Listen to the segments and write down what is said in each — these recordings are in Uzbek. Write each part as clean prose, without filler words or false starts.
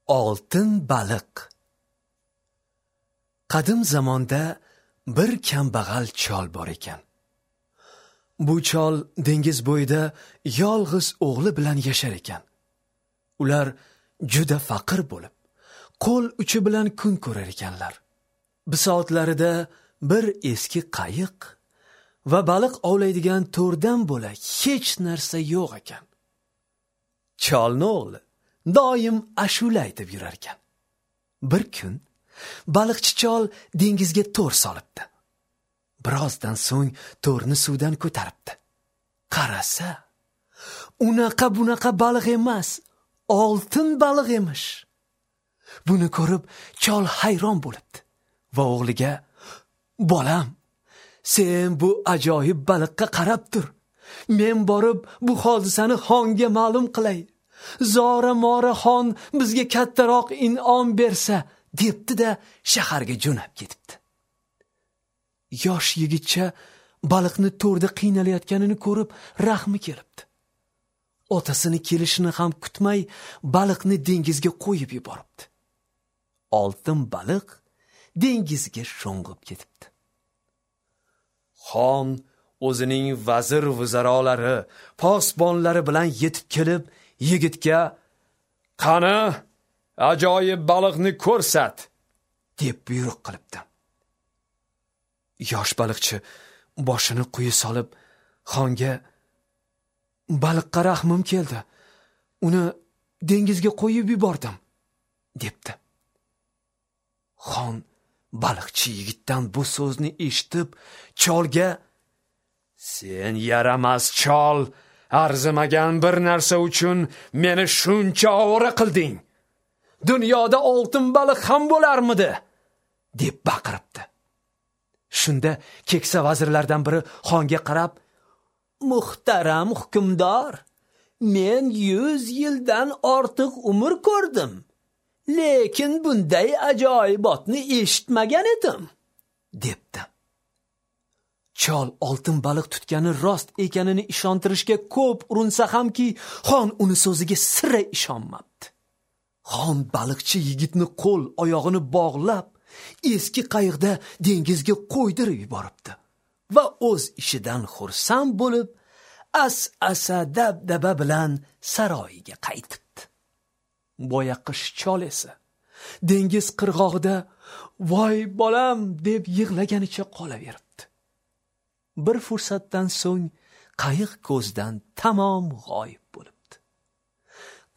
Oltin baliq. Qadim zamonda bir kambag'al chol bor ekan. Bu chol dengiz bo'yida yolg'iz o'g'li bilan yashar ekan. Ular juda faqir bo'lib, qo'l uchi bilan kun ko'rar ekanlar. Bisotlarida bir eski qayiq va baliq ovlaydigan to'rdan bo'lak hech narsa yo'q ekan. Cholni o'g'li doim ashula aytib yurar ekan. Bir kun baliqchi chol dengizga to'r solibdi. Birozdan so'ng to'rni suvdan ko'taribdi. Qarasa, unaqa bunaqa baliq emas, oltin baliq emish. Buni ko'rib chol hayron bo'libdi va o'g'liga: "Bolam, sen bu ajoyib baliqqa qarab tur. Men borib bu hodisani xonga ma'lum qilay. Zora-mora xon bizga kattaroq in'om bersa", debdi-da shaharga jo'nab ketibdi. Yosh yigitcha baliqni to'rda qiynalayotganini ko'rib rahmi kelibdi. Otasini kelishini ham kutmay baliqni dengizga qo'yib yuboribdi. Oltin baliq dengizga sho'ng'ib ketibdi. Xon o'zining vazir vuzarolari, posbonlari bilan yetib kelib, yigitga: "Qani, ajoyib baliqni ko'rsat", deb buyruq qilibdi. Yosh baliqchi boshini quyi solib xonga: "Baliqqa rahmim keldi. Uni dengizga qo'yib yubordim", debdi. Xon baliqchi yigitdan bu so'zni eshitib, cholga: "Sen yaramas chol, arzimagan bir narsa uchun meni shuncha ovora qilding. Dunyoda oltin baliq ham bo'larmidi?" deb baqiribdi. Shunda keksa vazirlardan biri xonga qarab: "Muhtaram hukmdor, men 100 yildan ortiq umr ko'rdim, lekin bunday ajoyibotni eshitmagan edim", debdi. Chol oltin baliq tutgani rost ekanini ishontirishga ko'p urinsa hamki, xon uni so'ziga sira ishonmabdi. Xon baliqchi yigitni qo'l oyog'ini bog'lab, eski qayiqda dengizga qo'ydirib yuboribdi va o'z ishidan xursand bo'lib, as-asa dabdaba bilan saroyiga qaytibdi. Boyaqish chol esa dengiz qirg'og'ida "Voy bolam" deb yig'laganicha qolaveribdi. Bir fursatdan so'ng qayiq ko'zdan tamom g'oyib bo'libdi.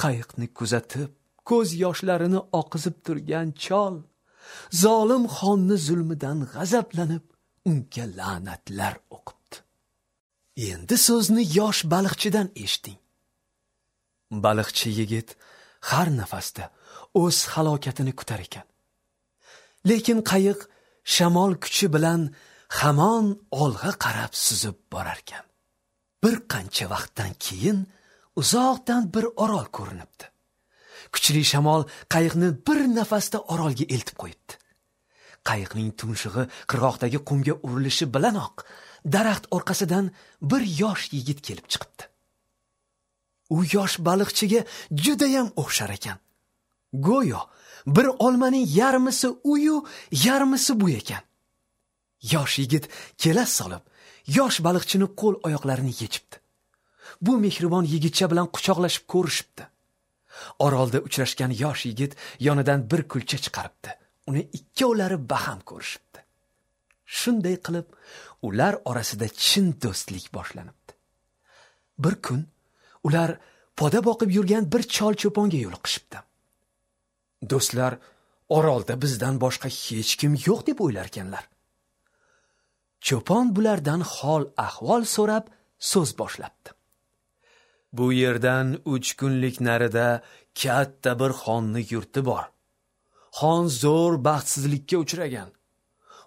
Qayiqni kuzatib, ko'z yoshlarini oqizib turgan chol zolim xonni zulmidan g'azablanib, unga la'natlar o'qibdi. Endi so'zni yosh baliqchidan eshiting. Baliqchi yigit har nafasda o'z halokatini kutar ekan. Lekin qayiq shamol kuchi bilan hamon olg'a qarab suzib borar ekan. Bir qancha vaqtdan keyin uzoqdan bir orol ko'rinibdi. Kuchli shamol qayiqni bir nafasda orolga eltib qo'yibdi. Qayiqning tumshug'i qirg'oqdagi qumga urilishi bilanoq daraxt orqasidan bir yosh yigit kelib chiqibdi. U yosh baliqchiga juda ham o'xshar ekan. Go'yo bir olmaning yarmisi uyu, yarmisi bu ekan. Yosh yigit kela solib, yosh baliqchini qo'l oyoqlarini yechibdi. Bu mehribon yigitcha bilan quchoqlashib ko'rishibdi. Orolda uchrashgan yosh yigit yonidan bir kulcha chiqaribdi. Uni ikkovlari baham ko'rishibdi. Shunday qilib, ular orasida chin do'stlik boshlanibdi. Bir kun ular poda boqib yurgan bir chol cho'ponga yo'liqishibdi. Do'stlar orolda bizdan boshqa hech kim yo'q deb o'ylarkanlar. Cho'pon bulardan hol ahvol so'rab so'z boshlabdi. Bu yerdan 3 kunlik narida katta bir xonni yurti bor. Xon zo'r baxtsizlikka uchragan.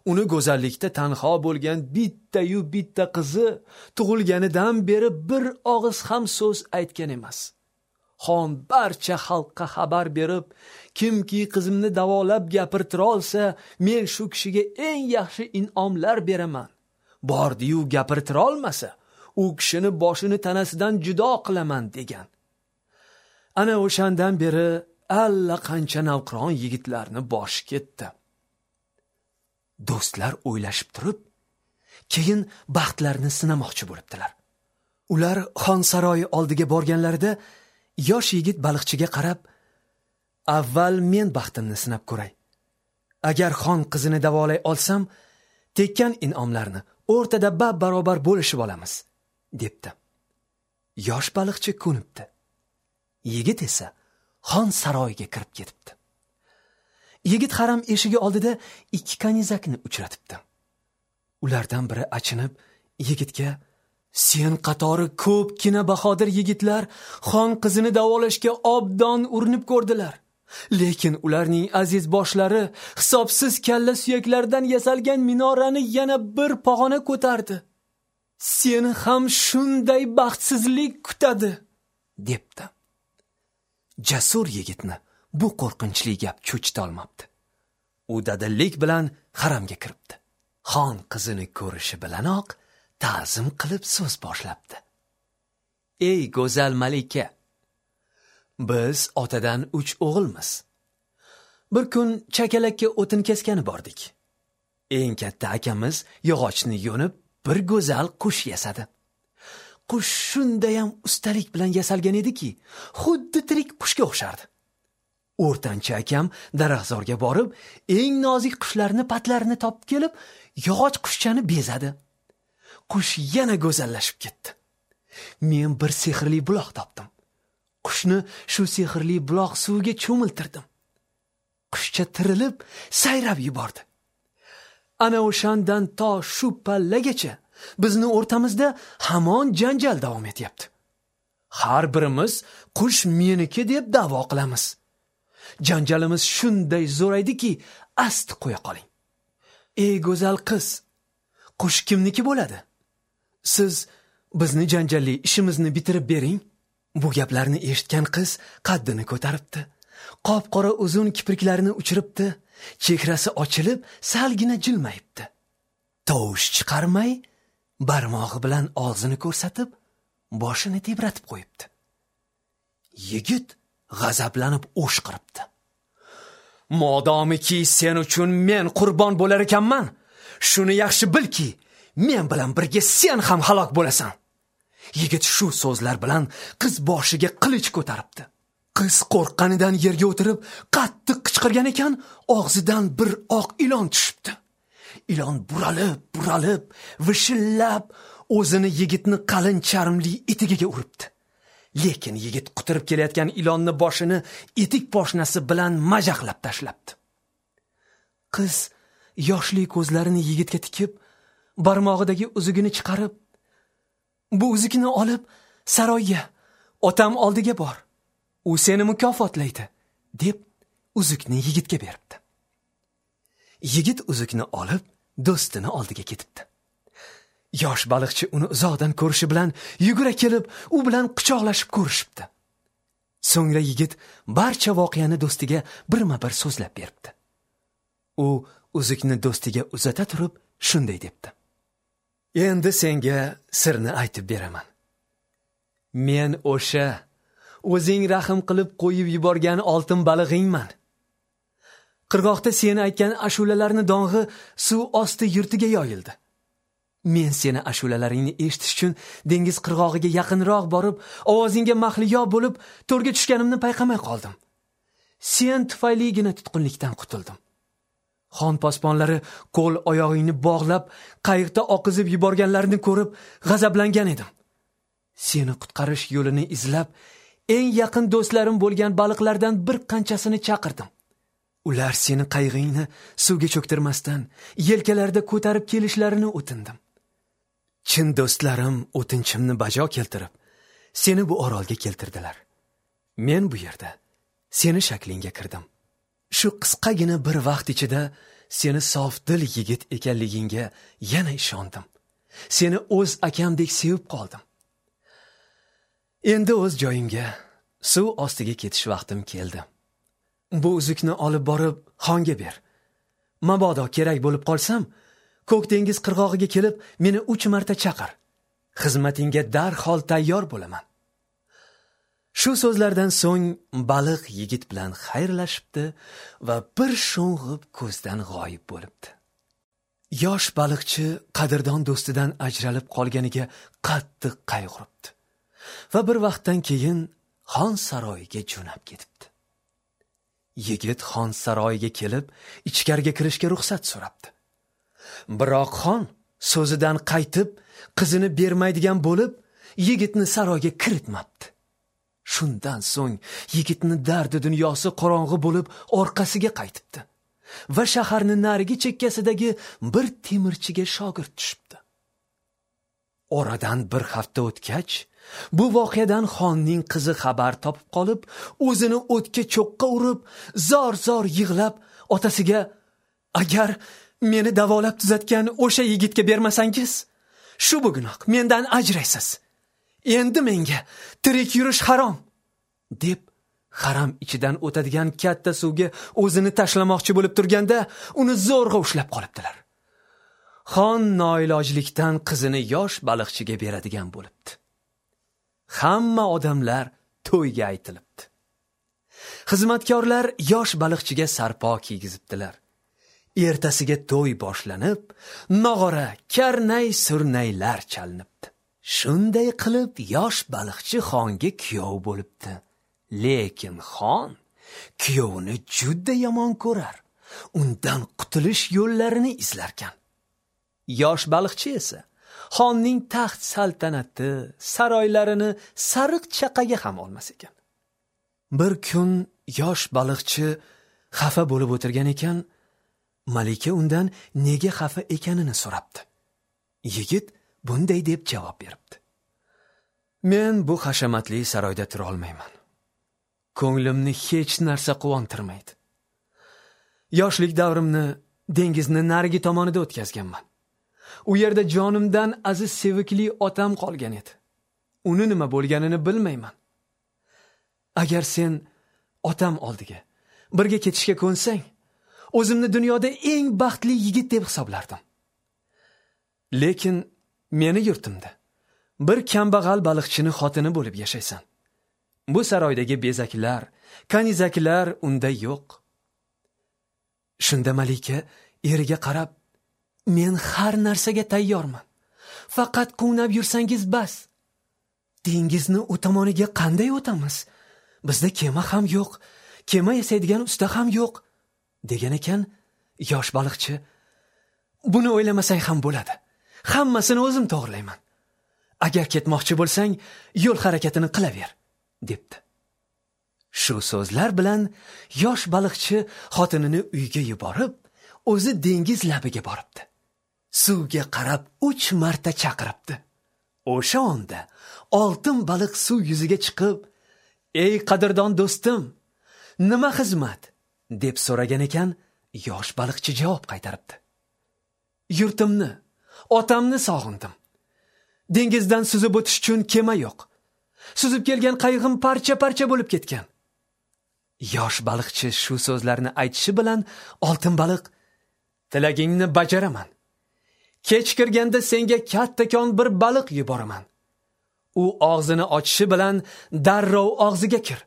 Uni go'zallikda tanho bo'lgan bitta-yu bitta qizi tug'ilganidan beri bir og'iz ham so'z aytgan emas. Xon barcha xalqqa xabar berib, kimki qizimni davolab gapirtira olsa, men shu kishiga eng yaxshi in'omlar beraman. Bordi-yu gapirtira olmasa, u kishini boshini tanasidan judo qilaman degan. Ana o'shandan beri allaqancha navqiron yigitlarni boshi ketdi. Do'stlar o'ylashib turib, keyin baxtlarini sinamoqchi bo'libdilar. Ular xon saroyi oldiga borganlarida yosh yigit baliqchiga qarab, "Avval men baxtimni sinab ko'ray. Agar xon qizini davolay olsam, tekkan in'omlarni o'rtada bab-barobar bo'lishib olamiz", debdi. Yosh baliqchi ko'nibdi. Yigit esa xon saroyiga kirib ketibdi. Yigit haram eshigi oldida ikki kanizakni uchratibdi. Ulardan biri achinib yigitga: "Sen qatori ko'pgina bahodir yigitlar xon qizini davolashga obdon urinib ko'rdilar. Lekin ularning aziz boshlari hisobsiz kalla suyaklaridan yasalgan minorani yana bir pog'ona ko'tardi. Seni ham shunday baxtsizlik kutadi", debdi. Jasur yigitni bu qo'rqinchli gap cho'chita olmabdi. U dadillik bilan haramga kiribdi. Xon qizini ko'rishi bilanoq ta'zim qilib so'z boshlabdi. "Ey go'zal malika, biz otadan 3 o'g'ilmiz. Bir kun chakalakka o'tin keskani bordik. Eng katta akamiz yog'ochni yo'nib bir go'zal qush yasadi. Qush shundayam ustalik bilan yasalgan ediki, xuddi tirik qushga o'xshardi. O'rtancha akam daraxtzorga borib, eng nozik qushlarni patlarini topib kelib, yog'och qushchani bezadi. Qush yana go'zallashib ketdi. Men bir sehrli buloq topdim. Qushni shu sehrli buloq suviga cho'miltirdim. Qushcha tirilib, sayrab yubordi. Ana o'shandan to shu pallagacha bizni o'rtamizda hamon janjal davom etyapti. Har birimiz qush meniki deb da'vo qilamiz. Janjalimiz shunday zo'raydiki, asti qo'ya qoling. Ey go'zal qiz, qush kimniki bo'ladi? Siz bizni janjalli ishimizni bitirib bering." Bu gaplarni eshitgan qiz qaddini ko'taribdi. Qop-qora uzun kipriklarini uchiribdi, chehrasi ochilib, salgina jilmayibdi. Tovush chiqarmay, barmog'i bilan og'zini ko'rsatib, boshini tebratib qo'yibdi. Yigit g'azablanib o'shqiribdi. "Modomiki sen uchun men qurbon bo'lar ekanman, shuni yaxshi bilki, men bilan birga sen ham halok bo'lasan." Yigit shu so'zlar bilan qiz boshiga qilich ko'taribdi. Qiz qo'rqqanidan yerga o'tirib, qattiq qichqirgan ekan, og'zidan bir oq ilon tushibdi. Ilon buralib, vishillab, o'zini yigitni qalin charmli etigiga uribdi. Lekin yigit quturib kelayotgan ilonni boshini etik poshnasi bilan majaqlab tashlabdi. Qiz yoshli ko'zlarini yigitga tikib, barmog'idagi uzugini chiqarib, "Bu uzukni olib saroyga, otam oldiga bor. U seni mukofotlaydi", deb uzukni yigitga beribdi. Yigit uzukni olib do'stini oldiga ketibdi. Yosh baliqchi uni uzoqdan ko'rishi bilan yugura kelib, u bilan quchoqlashib ko'rishibdi. So'ngra yigit barcha voqeani do'stiga birma-bir so'zlab beribdi. U uzukni do'stiga uzata turib shunday debdi: "Endi senga sirni aytib beraman. Men o'sha o'zing rahm qilib qo'yib yuborgan oltin balig'ingman. Qirg'oqda seni aytgan ashulalarni dong'i suv osti yurtiga yoyildi. Men seni ashulalaringni eshitish uchun dengiz qirg'og'iga yaqinroq borib, ovozingga mahliyo bo'lib, to'rga tushganimni payqamay qoldim. Sen tufayligina tutqunlikdan qutuldim. Xon posbonlari qo'l oyog'ingni bog'lab, qayiqda oqizib yuborganlarini ko'rib g'azablangan edim. Seni qutqarish yo'lini izlab, eng yaqin do'stlarim bo'lgan baliqlardan bir qanchasini chaqirdim. Ular seni qayig'ingni suvga cho'ktirmasdan yelkalarida ko'tarib kelishlarini o'tindim. Chin do'stlarim o'tinchimni bajo keltirib, seni bu orolga keltirdilar. Men bu yerda seni shaklingga kirdim. Shu qisqagina bir vaqt ichida seni sofdil yigit ekanligingga yana ishondim. Seni o'z akamdek sevib qoldim. Endi o'z joyimga, suv ostiga ketish vaqtim keldi. Bu uzukni olib borib xonga ber. Mabodo kerak bo'lib qolsam, Ko'k dengiz qirg'og'iga kelib meni 3 marta chaqir. Xizmatingga darhol tayyor bo'laman. Shu so'zlardan so'ng baliq yigit bilan xayrlashibdi va bir sho'ng'ib ko'zdan g'oyib bo'libdi. Yosh baliqchi qadrdon do'stidan ajralib qolganiga qattiq qayg'uribdi va bir vaqtdan keyin xon saroyiga jo'nab ketibdi. Yigit xon saroyiga kelib, ichkariga kirishga ruxsat so'rabdi. Biroq xon so'zidan qaytib, qizini bermaydigan bo'lib, yigitni saroyga kiritmabdi. Shundan so'ng yigitni dardi dunyosi qorong'i bo'lib orqasiga qaytibdi va shaharning narigi chekkasidagi bir temirchiga shogird tushibdi. Oradan bir hafta o'tgach, bu voqeadan xonning qizi xabar topib qolib, o'zini o'tga cho'qqa urib, zor-zor yig'lab otasiga: "Agar meni davolab tuzatgan o'sha yigitga bermasangiz, shu bugunoq mendan ajraysiz. Endi menga tirik yurish harom" deb haram ichidan o'tadigan katta suvga o'zini tashlamoqchi bo'lib turganda uni zo'rg'a ushlab qolibdilar. Xon noilojlikdan qizini yosh baliqchiga beradigan bo'libdi. Hamma odamlar to'yga aytilibdi. Xizmatkorlar yosh baliqchiga sarpo kiygizibdilar. Ertasiga to'y boshlanib, nog'ora, karnay, surnaylar chalinibdi. Shunday qilib yosh baliqchi xonga kuyov bo'libdi. Lekin xon kuyovini juda yomon ko'rar, undan qutulish yo'llarini izlarkan. Yosh baliqchi esa xonning taxt saltanati, saroylarini sariq chaqaga ham olmas ekan. Bir kun yosh baliqchi xafa bo'lib o'tirgan ekan, malika undan nega xafa ekanini so'rabdi. Yigit bunday deb javob beribdi: "Men bu hashamatli saroyda tura olmayman. Ko'nglimni hech narsa quvontirmaydi. Yoshlik davrimni dengizni narigi tomonida o'tkazganman. U yerda jonimdan aziz sevikli otam qolgan edi. Uni nima bo'lganini bilmayman. Agar sen otam oldiga birga ketishga ko'nsang, o'zimni dunyoda eng baxtli yigit deb hisoblardim. Lekin meni yurtimda bir kambag'al baliqchini xotini bo'lib yashaysan. Bu saroydagi bezaklar, kanizaklar unda yo'q." Shunda malika eriga qarab: "Men har narsaga tayyorman. Faqat quvnab yursangiz bas. Dengizni u tomoniga qanday o'tamiz? Bizda kema ham yo'q, kema yasaydigan usta ham yo'q" degan ekan. Yosh baliqchi: "Buni o'ylamasang ham bo'ladi. Hammasini o'zim to'g'rilayman. Agar ketmoqchi bo'lsang, yo'l harakatini qilaver" debdi. Shu so'zlar bilan yosh baliqchi xotinini uyga yuborib, o'zi dengiz labiga boribdi. Suvga qarab 3 marta chaqiribdi. O'sha onda oltin baliq suv yuziga chiqib, "Ey qadrdon do'stim, nima xizmat?" deb so'ragan ekan. Yosh baliqchi javob qaytaribdi: "Yurtimni, otamni sog'indim. Dengizdan suzib o'tish uchun kema yo'q. Suzib kelgan qayig'im parcha-parcha bo'lib ketgan." Yosh baliqchi shu so'zlarni aytishi bilan oltin baliq: "Tilagingni bajaraman. Kech kirganda senga kattakon bir baliq yuboraman. U og'zini ochishi bilan darrov og'ziga kir.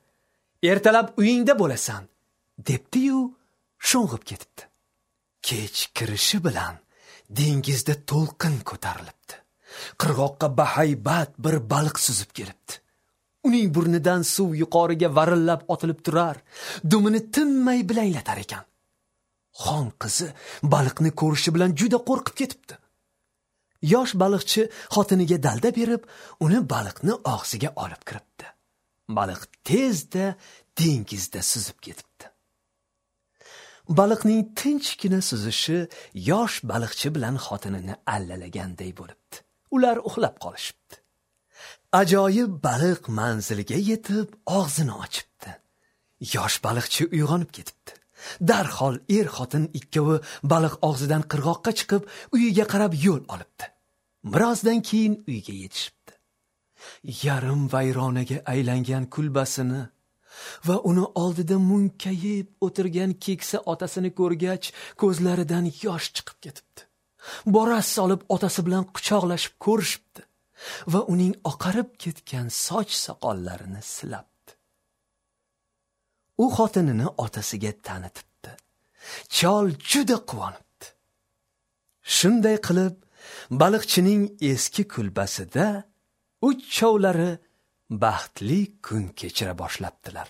Ertalab uyingda bo'lasan" debdi-yu sho'ng'ib ketibdi. Kech kirishi bilan dengizda to'lqin ko'tarilibdi. Qirg'oqqa bahaybat bir baliq suzib kelibdi. Uning burnidan suv yuqoriga varillab otilib turar, dumini tinmay bilanglatar ekan. Xon qizi baliqni ko'rishi bilan juda qo'rqib ketibdi. Yosh baliqchi xotiniga dalda berib, uni baliqni og'ziga olib kiribdi. Baliq tezda dengizda suzib ketibdi. Baliqning tinchgina suzishi yosh baliqchi bilan xotinini allalaganday bo'libdi. Ular uxlab qolishibdi. Ajoyib baliq manziliga yetib og'zini ochibdi. Yosh baliqchi uyg'onib ketibdi. Darhol er-xotin ikkovi baliq og'zidan qirg'oqqa chiqib, uyiga qarab yo'l olibdi. Birozdan keyin uyga yetishibdi. Yarim vayronaga aylangan kulbasini va uni oldida munkayib o'tirgan keksa otasini ko'rgach, ko'zlaridan yosh chiqib ketibdi. Boras solib otasi bilan quchoqlashib ko'rishibdi va uning oqarib ketgan soch soqollarini silabdi. U xotinini otasiga tanitibdi. Chol juda quvonibdi. Shunday qilib, baliqchining eski kulbasida uchovlari baxtli kun kechira boshlabdilar.